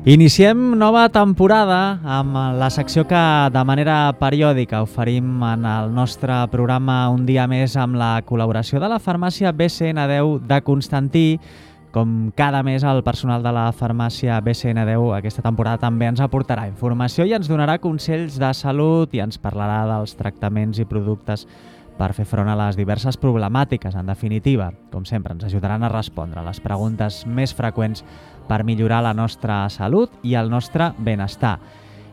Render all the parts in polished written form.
Iniciem nova temporada amb la secció que de manera periòdica oferim en el nostre programa Un dia més amb la col·laboració de la farmàcia BCN10 de Constantí. Com cada mes el personal de la farmàcia BCN10 aquesta temporada també ens aportarà informació i ens donarà consells de salut i ens parlarà dels tractaments i productes per fer front a les diverses problemàtiques. En definitiva, com sempre, ens ajudaran a respondre a les preguntes més freqüents per millorar la nostra salut i el nostre benestar.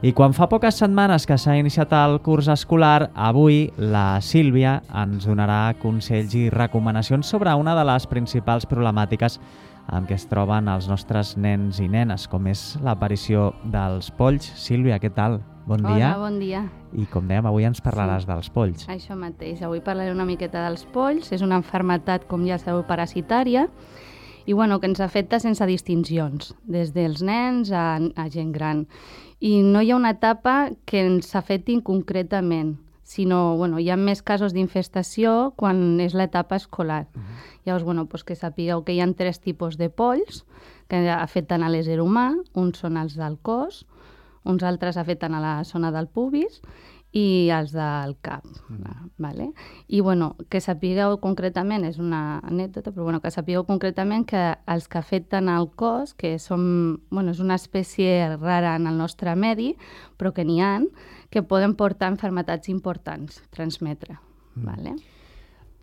I quan fa poques setmanes que s'ha iniciat el curs escolar, avui la Sílvia ens donarà consells i recomanacions sobre una de les principals problemàtiques amb què es troben els nostres nens i nenes, com és l'aparició dels polls. Sílvia, què tal? Bon dia. Hola, bon dia. I com dèiem, avui ens parlaràs dels polls. Això mateix, avui parlaré una miqueta dels polls. És una malaltia, com ja sabeu, parasitària i que ens afecta sense distincions, des dels nens a gent gran. I no hi ha una etapa que ens afecti concretament, sinó hi ha més casos d'infestació quan és l'etapa escolar. Llavors, que sapigueu que hi ha 3 tipus de polls que afecten a l'ésser humà. Uns són els del cos, uns altres afecten a la zona del pubis i els del cap. Vale? I que sapigueu concretament, és una anècdota, però que sapigueu concretament que els que afecten al cos, que són, és una espècie rara en el nostre medi, però que n'hi ha, que poden portar malalties importants, transmetre. Vale?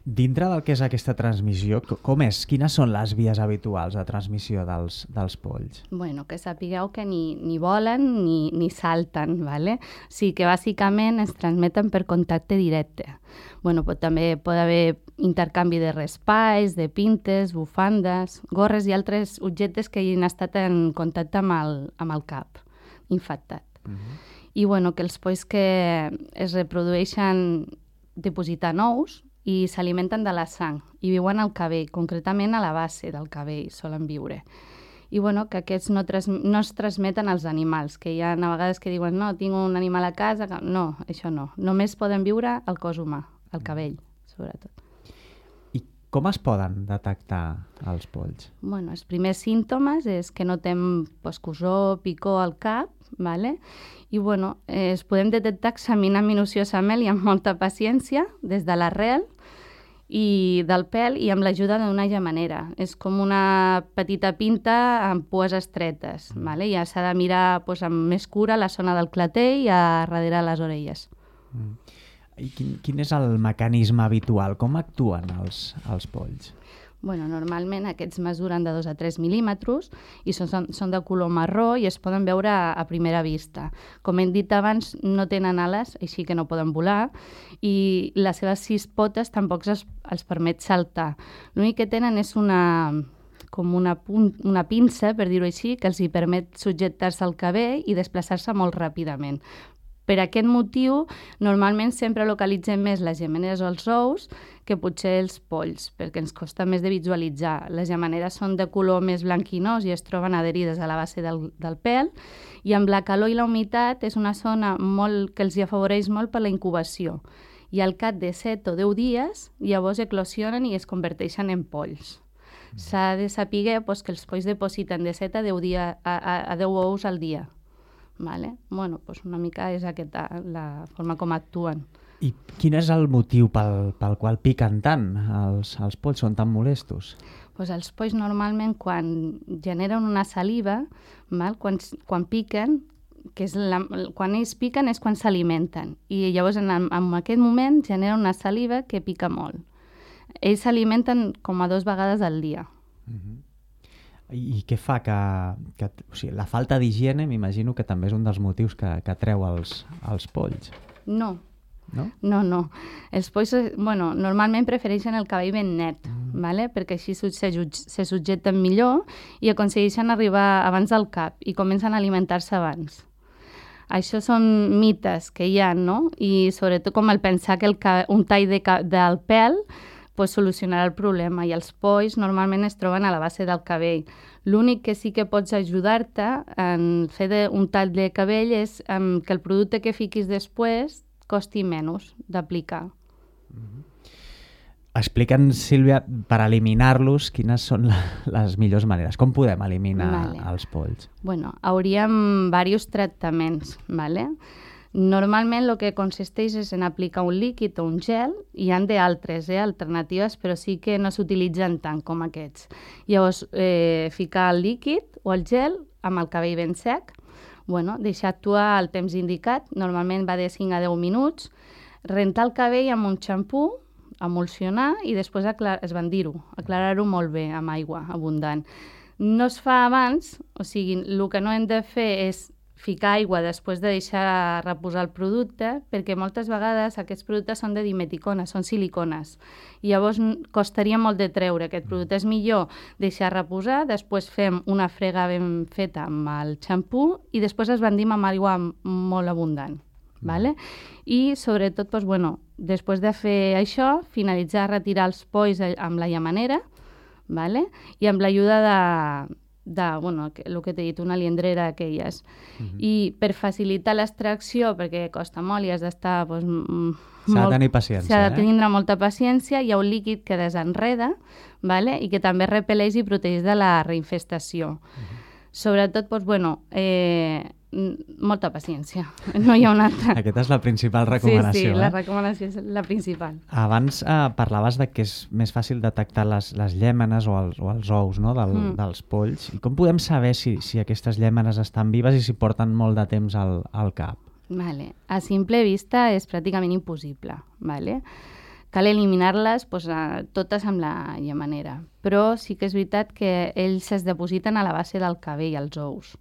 Dintre del que és aquesta transmissió, com és? Quines són les vies habituals de transmissió dels polls? Que sapigueu que ni volen ni salten, ¿vale? Sí que bàsicament es transmeten per contacte directe. També pot haver intercanvi de raspalls, de pintes, bufandes, gorres i altres objectes que hagin estat en contacte amb el cap infectat. I que els polls que es reprodueixen dipositant ous i s'alimenten de la sang i viuen al cabell, concretament a la base del cabell solen viure. I que aquests no es transmeten als animals, que hi ha a vegades que diuen no, tinc un animal a casa, no, això no. Només poden viure al cos humà, al cabell, sobretot. I com es poden detectar els polls? Els primers símptomes és que notem cosor, picor al cap, ¿vale? I es podem detectar examinant minuciosament i amb molta paciència des de l'arrel i del pèl i amb l'ajuda d'una gemanera. És com una petita pinta amb pues estretes, ¿vale? I s'ha de mirar amb més cura la zona del clatell i a darrere les orelles. I quin és el mecanisme habitual? Com actuen els polls? Normalment aquests mesuren de 2 a 3 mil·límetres i són de color marró i es poden veure a primera vista. Com hem dit abans, no tenen ales, així que no poden volar, i les seves 6 potes tampoc els permet saltar. L'únic que tenen és una pinça, per dir-ho així, que els hi permet subjectar-se al cabell i desplaçar-se molt ràpidament. Per aquest motiu, normalment sempre localitzem més les gemeneres o els ous que potser els polls, perquè ens costa més de visualitzar. Les gemeneres són de color més blanquinós i es troben adherides a la base del pèl, i amb la calor i la humitat és una zona que els afavoreix molt per la incubació. I al cap de 7 o 10 dies, llavors eclosionen i es converteixen en polls. S'ha de saber que els polls depositen de 7 a 10 ous al dia. Vale? Una mica és aquesta la forma com actuen. I quin és el motiu pel qual piquen tant? Els polls són tan molestos? Els polls normalment quan generen una saliva, quan piquen, quan ells piquen és quan s'alimenten. I llavors en aquest moment genera una saliva que pica molt. Ells s'alimenten com a 2 vegades al dia. I què fa la falta d'higiene, m'imagino que també és un dels motius que atreu els polls. No. No. Els polls normalment prefereixen el cabell ben net, ¿vale? Perquè així se subjecten millor i aconsegueixen arribar abans del cap i comencen a alimentar-se abans. Això són mites que hi ha, no? I sobretot com el pensar que un tall del pèl solucionarà el problema, i els polls normalment es troben a la base del cabell. L'únic que sí que pots ajudar-te en fer un tall de cabell és que el producte que fiquis després costi menys d'aplicar. Explica'ns, Sílvia, per eliminar-los, quines són les millors maneres. Com podem eliminar els polls? Bueno, hauríem diversos tractaments, ¿vale? Normalment el que consisteix és en aplicar un líquid o un gel, i hi ha d'altres alternatives, però sí que no s'utilitzen tant com aquests. Llavors, ficar el líquid o el gel amb el cabell ben sec, deixar actuar el temps indicat, normalment va de 5 a 10 minuts, rentar el cabell amb un xampú, emulsionar i després esbandir-ho, aclarar-ho molt bé amb aigua abundant. No es fa abans, o sigui, el que no hem de fer és ficar aigua després de deixar reposar el producte, perquè moltes vegades aquests productes són de dimeticona, són silicones. I llavors costaria molt de treure aquest producte. És millor deixar reposar, després fem una frega ben feta amb el xampú i després esbandim amb aigua molt abundant. Vale? I sobretot, després de fer això, finalitzar, retirar els polls amb la llamanera, vale? I amb l'ajuda el que t'he dit, una liendrera d'aquelles. I per facilitar l'extracció, perquè costa molt i has d'estar... S'ha de tenir paciència. S'ha de tenir molta paciència. Hi ha un líquid que desenreda, vale? I que també repel·leix i protegeix de la reinfestació. Sobretot, molta paciència. No hi ha una altra. Aquesta és la principal recomanació. Sí, la recomanació és la principal. Abans parlaves de que és més fàcil detectar les llèmenes o els ous, no? Dels polls. I com podem saber si aquestes llèmenes estan vives i si porten molt de temps al cap? Vale. A simple vista és pràcticament impossible. Vale? Cal eliminar-les totes amb la llamanera. Però sí que és veritat que ells es depositen a la base del cabell, els ous.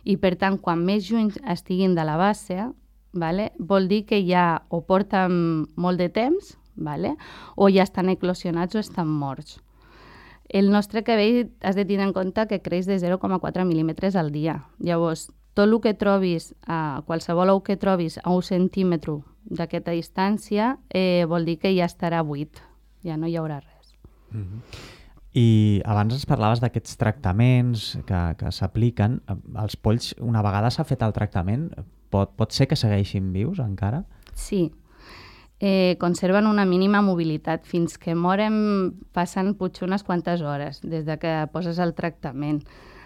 I, per tant, quan més lluny estiguin de la base, vol dir que ja o porten molt de temps, o ja estan eclosionats o estan morts. El nostre cabell has de tenir en compte que creix de 0,4 mil·límetres al dia. Llavors, tot el que trobis, qualsevol ou que trobis a 1 centímetre d'aquesta distància, vol dir que ja estarà buit, ja no hi haurà res. I abans ens parlaves d'aquests tractaments que s'apliquen. Els polls, una vegada s'ha fet el tractament, pot ser que segueixin vius encara? Sí. Conserven una mínima mobilitat. Fins que moren passen potser unes quantes hores des de que poses el tractament.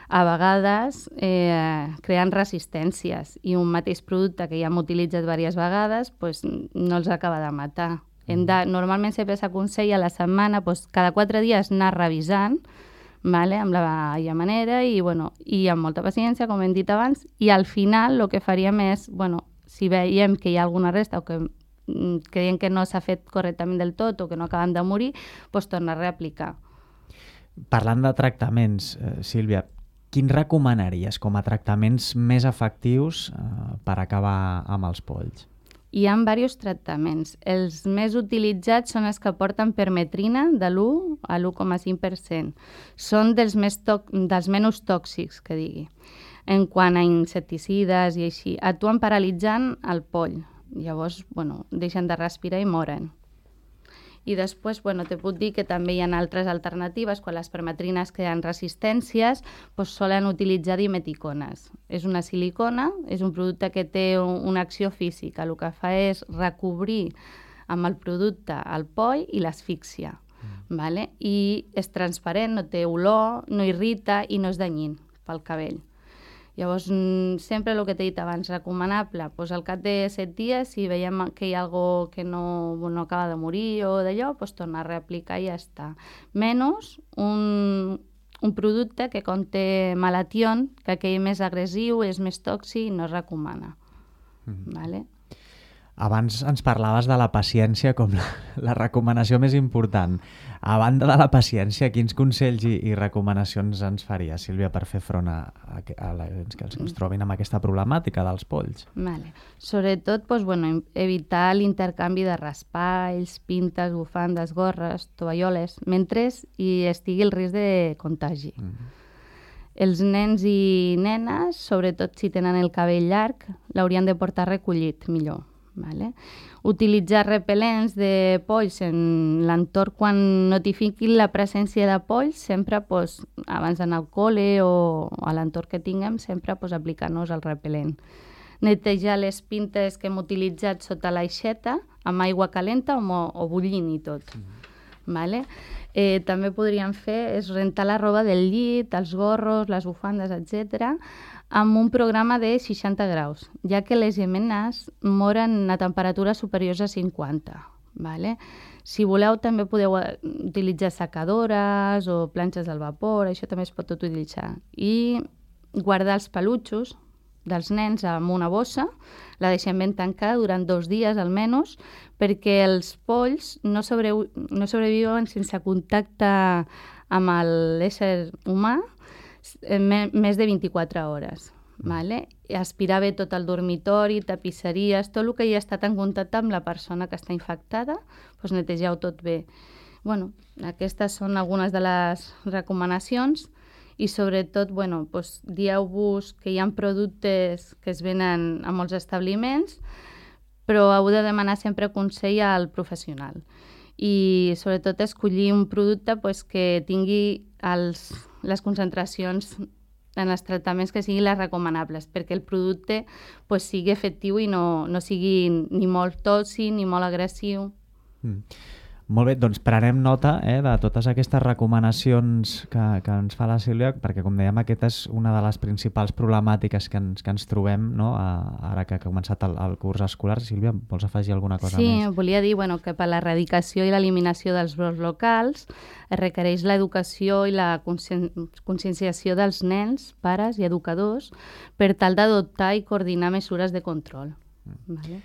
A vegades creen resistències i un mateix producte que ja hem utilitzat diverses vegades no els acaba de matar. Normalment sempre s'aconsella a la setmana, cada 4 dies anar revisant, amb la llamanera i amb molta paciència, com hem dit abans, i al final el que faríem és, si veiem que hi ha alguna resta o que creiem que no s'ha fet correctament del tot o que no acaben de morir, tornar a reaplicar. Parlant de tractaments, Sílvia, quins recomanaries com a tractaments més efectius per acabar amb els polls? Hi ha diversos tractaments. Els més utilitzats són els que porten permetrina de l'1 a l'1,5%. Són dels menys tòxics, que digui. En quant a insecticides i així, actuen paralitzant el poll. Llavors, deixen de respirar i moren. I després, te puc dir que també hi ha altres alternatives. Quan les permetrines creen resistències, solen utilitzar dimeticones. És una silicona, és un producte que té una acció física. El que fa és recobrir amb el producte el poll i l'asfíxia. I és transparent, no té olor, no irrita i no és danyint pel cabell. Llavors, sempre el que t'he dit abans, recomanable, al cap de 7 dies, si veiem que hi ha alguna cosa que no acaba de morir o d'allò, tornar a reaplicar i ja està. Menys un producte que conté malation, que aquell més agressiu, és més tòxic i no es recomana. Vale? Abans ens parlaves de la paciència com la recomanació més important. A banda de la paciència, quins consells i recomanacions ens faria, Sílvia, per fer front a que ens trobin amb aquesta problemàtica dels polls? Vale. Sobretot, evitar l'intercanvi de raspalls, pintes, bufandes, gorres, tovalloles, mentre hi estigui el risc de contagi. Els nens i nenes, sobretot si tenen el cabell llarg, l'haurien de portar recollit millor. Vale? Utilitzar repel·lents de polls en l'entorn quan notifiquin la presència de polls, sempre abans d'anar al col·le o a l'entorn que tinguem, sempre aplicar-nos el repel·lent. Netejar les pintes que hem utilitzat sota l'aixeta amb aigua calenta o bullint i tot. Vale? També podríem fer és rentar la roba del llit, els gorros, les bufandes, etc., amb un programa de 60 graus, ja que les llémenes moren a temperatures superiors a 50. Vale? Si voleu, també podeu utilitzar secadores o planxes al vapor, això també es pot utilitzar. I guardar els pelutxos dels nens amb una bossa, la deixem ben tancada durant 2 dies almenys, perquè els polls no sobreviuen sense contacte amb l'ésser humà més de 24 hores. Vale? Aspirar bé tot el dormitori, tapisseries, tot el que hi ha estat en contacte amb la persona que està infectada, doncs netegeu tot bé. Bueno, aquestes són algunes de les recomanacions i sobretot dieu-vos que hi ha productes que es venen a molts establiments, però heu de demanar sempre consell al professional. I sobretot escollir un producte que tingui les concentracions en els tractaments que siguin les recomanables, perquè el producte sigui efectiu i no sigui ni molt tòxic ni molt agressiu. Molt bé, doncs prenem nota de totes aquestes recomanacions que ens fa la Sílvia, perquè com dèiem, aquesta és una de les principals problemàtiques que ens trobem, no? Ara que ha començat el curs escolar. Sílvia, vols afegir alguna cosa més? Sí, volia dir que per l'erradicació i l'eliminació dels brots locals es requereix l'educació i la conscienciació dels nens, pares i educadors per tal d'adoptar i coordinar mesures de control. Vale?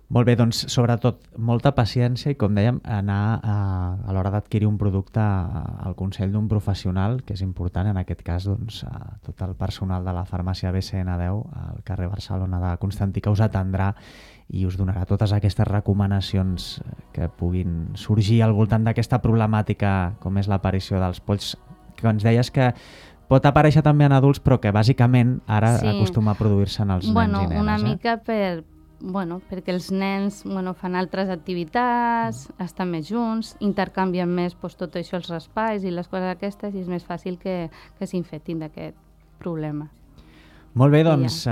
Molt bé, doncs sobretot molta paciència i, com dèiem, anar a l'hora d'adquirir un producte al consell d'un professional, que és important, en aquest cas tot el personal de la farmàcia BCN10 al carrer Barcelona de Constantí, que us atendrà i us donarà totes aquestes recomanacions que puguin sorgir al voltant d'aquesta problemàtica com és l'aparició dels polls, que ens deies que pot aparèixer també en adults, però que bàsicament ara acostuma a produir-se en els nens i nenes. Una mica perquè els nens fan altres activitats, estan més junts, intercanvien més tot això, els raspalls i les coses aquestes, i és més fàcil que s'infectin d'aquest problema. Molt bé, doncs,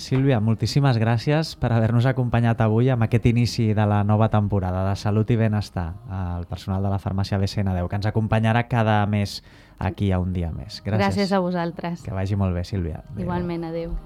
Sílvia, moltíssimes gràcies per haver-nos acompanyat avui amb aquest inici de la nova temporada de Salut i Benestar, al personal de la farmàcia BCN10, que ens acompanyarà cada mes aquí a Un Dia Més. Gràcies a vosaltres. Que vagi molt bé, Sílvia. Igualment, adéu.